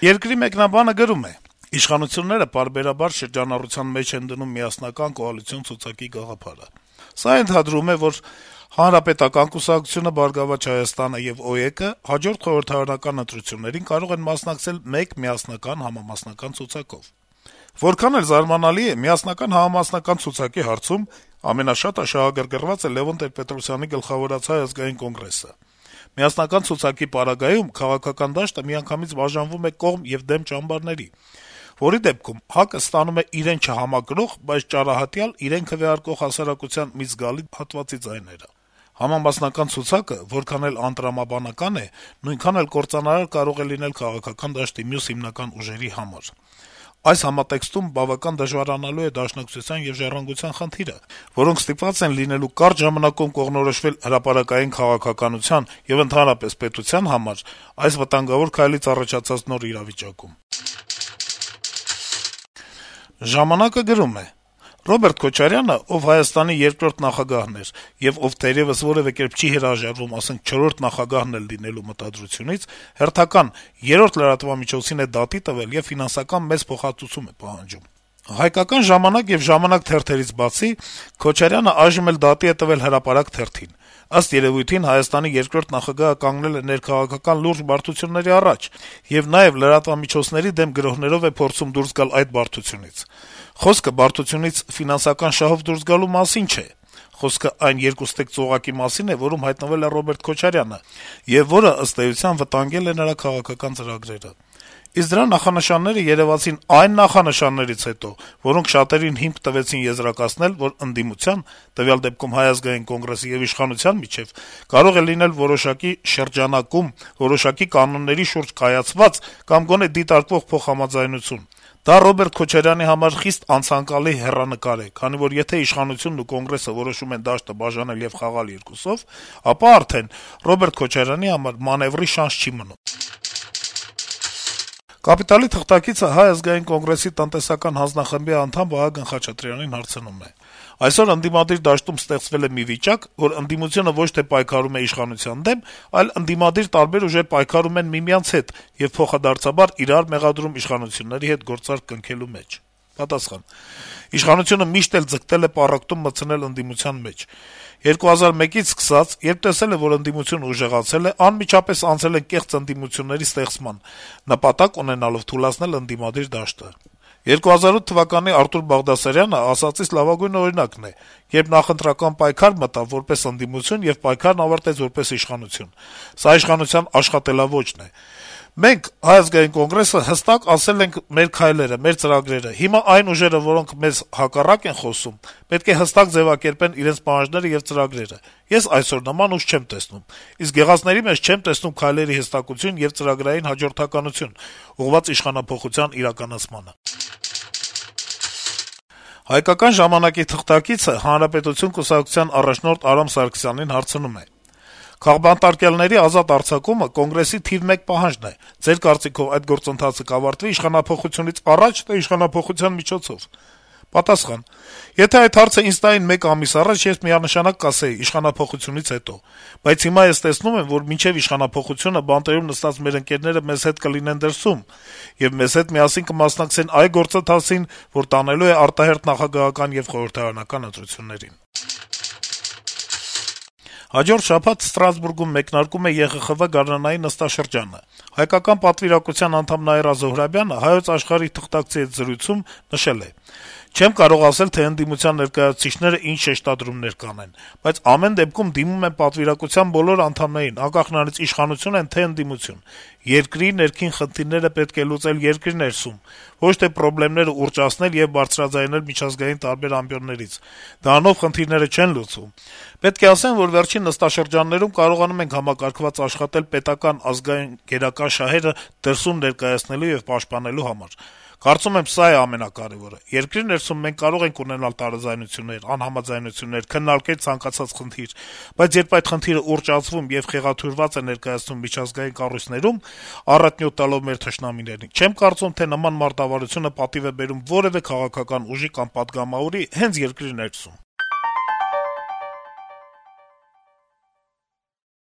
Երկրի մեկնաբանը գրում է. - «Իշխանությունները պարբերաբար շրջանառության մեջ են դնում միասնական կոալիցիոն ցուցակի գաղափարը: Սա ընդհանրում է, որ Հանրապետական կուսակցությունը, «Բարգավաճ Հայաստանը» եւ ՕԵԿ-ը հաջորդ խորհրդարանական ընտրություններին կարող են մասնակցել մեկ միասնական համամասնական ցուցակով: Որքան էլ զարմանալի է, միասնական համամասնական ցուցակի հարցում ամենաշատը շահագրգռված է Լեւոն Տեր-Պետրոսյանի գլխավորած Հայ ազգային կոնգրեսը: Միասնական ցուցակի պարագայում քաղաքական դաշտը միանգամից բաժանվում է կողմ եւ դեմ ճամբարների, որի դեպքում ՀԱԿ-ը ստանում է իրեն չհամակրող, բայց ճարահատյալ իրեն քվեարկող հասարակության մի զգալի հատվածի ձայները: Համամասնական ցուցակը որքան էլ անտրամաբանական է, նույնքան էլ կործանարար կարող է լինել քաղաքական դաշտի մյուս հիմնական ուժերի համար: Այս համատեքստում բավական դժվարանալու է Դաշնակցության եւ Ժառանգության խնդիրը, որոնք ստիպված են լինելու կարճ ժամանակում կողմնորոշվել հրապարակային քաղաքականության եւ ընդհանրապես պետության համար այս վտանգավոր քայլից առաջացած նոր իրավիճակում»: «Ժամանակ»-ը գրում է. - «Ռոբերտ Քոչարյանը, ով Հայաստանի երկրորդ նախագահն էր եւ ով թերեւս որեւէ կերպ չի հրաժարվում, ասենք, չորրորդ նախագահն էլ լինելու մտադրությունից, հերթական, երրորդ լրատվամիջոցին է դատի տվել եւ ֆինանսական մեծ փոխհատուցում է պահանջում: «Հայկական ժամանակ» եւ «Ժամանակ» թերթերից բացի Քոչարյանը այժմ էլ դատի է տվել «Հրապարակ» թերթին: Ըստ երեւույթին Հայաստանի երկրորդ նախագահը կանգնել է ներքաղաքական լուրջ բարդությունների առաջ եւ նաեւ լրատվամիջոցների դեմ գրոհներով է փորձում դուրս գալ այդ բարդությունից: Խոսքը բարդությունից ֆինանսական շահով դուրս գալու մասին չէ: Խոսքը այն երկուստեք ծուղակի մասին է, որում հայտնվել է Ռոբերտ Քոչարյանը, եւ որը, ըստ էության, վտանգել է նրա քաղաքական ծրագրերը: Իսկ դրա նախանշանները երեւացին այն նախանշաններից հետո, որոնք շատերին հիմք տվեցին եզրակացնել, որ ընդդիմության, տվյալ դեպքում Հայ ազգային կոնգրեսի եւ իշխանության միջեւ կարող է լինել որոշակի շրջանակում, որոշակի կանոնների շուրջ կայացված կամ գոնե դիտարկվող փոխհամաձայնություն: Դա Ռոբերտ Քոչարյանի համար խիստ անցանկալի հեռանկար է, քանի որ եթե իշխանությունն ու Կոնգրեսը որոշում են դաշտը բաժանել եւ խաղալ երկուսով, ապա արդեն Ռոբերտ Քոչարյանի համար մանեւրի շանս չի մնում»: «Կապիտալ»-ի թղթակիցը Հայ ազգային կոնգրեսի տնտեսական հանձնախմբի անդամ Վահագն Խաչատրյանին հարցնում է. - «Այսօր ընդդիմադիր դաշտում ստեղծվել է մի վիճակ, որ ընդդիմությունը ոչ թե պայքարում է իշխանության դեմ, այլ ընդդիմադիր տարբեր ուժեր պայքարում են միմյանց հետ եւ փոխադարձաբար իրար մեղադրում իշխանությունների հետ գործարք կնքելու մեջ»: Պատասխան. - «Իշխանությունը միշտ էլ ձգտել է պառակտում մտցնել ընդդիմության մեջ: 2001-ից սկսած, երբ տեսել է, որ ընդդիմությունը ուժեղացել է, անմիջապես անցել են կեղծ ընդդիմությունների ստեղծման` նպատակ ունենալով թուլացնել ընդդիմադիր դաշտը: 2008 թվականի Արտուր Բաղդասարյանը ասածից լավագույն օրինակն է, երբ նախընտրական պայքար մտավ որպես ընդդիմություն եւ պայքարն ավարտեց որպես իշխանություն: Սա իշխանության աշխատելաոճն է: Մենք, Հայ ազգային կոնգրեսը, հստակ ասել ենք մեր քայլերը, մեր ծրագրերը: Հիմա այն ուժերը, որոնք մեզ հակառակ են խոսում, պետք է հստակ ձեւակերպեն իրենց պահանջները եւ ծրագրերը: Ես այսօր նման ուժ չեմ տեսնում: Իսկ եղածների մեջ չեմ տեսնում քայլերի հստակություն եւ ծրագրային հաջորդականություն` ուղղված իշխանափոխության իրականացմանը»: «Հայկական ժամանակ»-ի թղթակիցը «Հանրապետություն» կուսակցության առաջնորդ Արամ Սարգսյանին հարցնում է. - «Քաղբանտարկյալների ազատ արձակումը Կոնգրեսի թիվ 1 պահանջն է: Ձեր կարծիքով այդ գործընթացը կավարտվի իշխանափոխությունից առաջ, թե իշխանափոխության միջոցով»: Պատասխան. - «Եթե այդ հարցը ինձ տային 1 ամիս առաջ, ես միանշանակ կասեի` իշխանափոխությունից հետո: Բայց հիմա ես տեսնում եմ, որ մինչեւ իշխանափոխությունը բանտերում նստած մեր ընկերները մեզ հետ կլինեն դրսում եւ մեզ հետ միասին կմասնակցեն այ գործընթացին, որ տանելու է արտահերթ նախագահական եւ խորհրդարանական ընտրություններին»: Հաջորդ շաբաթ Ստրասբուրգում մեկնարկում է ԵԽԽՎ գարնանային նստաշրջանը: Հայկական պատվիրակության անդամ Նաիրա Զոհրաբյանը «Հայոց Աշխարհ»-ի թղթակցի հետ զրույցում նշել է. - «Չեմ կարող ասել, թե ընդդիմության ներկայացուցիչները ինչ շեշտադրումներ կանեն, բայց ամեն դեպքում դիմում եմ պատվիրակության բոլոր անդամներին, անկախ նրանից իշխանություն են, թե ընդդիմություն: Երկրի ներքին խնդիրները պետք է լուծել երկրի ներսում, ոչ թե պրոբլեմները ուռճացնել եւ բարձրաձայնել միջազգային տարբեր ամբիոններից: Դրանով խնդիրները չեն լուծվում: Պետք է ասեմ, որ վերջին նստաշրջաններում կարողանում ենք համակարգված աշխատել պետական, ազգային, գերակա շահերը դրսում ներկայացնելու եւ պաշտպանելու համար: Կարծում եմ, սա է ամենակարեւորը: Երկրի ներսում մենք կարող ենք ունենալ տարաձայնություններ, անհամաձայնություններ, քննարկել ցանկացած խնդիր, բայց երբ այդ խնդիրը ուռճացվում եւ խեղաթյուրված է ներկայացնում միջազգային կառույցներում, առատնյութ տալով մեր թշնամիներին, չեմ կարծում, թե նման մարտավարությունը պատիվ է բերում որեւէ քաղաքական ուժի կամ պատգամավորի հենց երկրի ներսում»: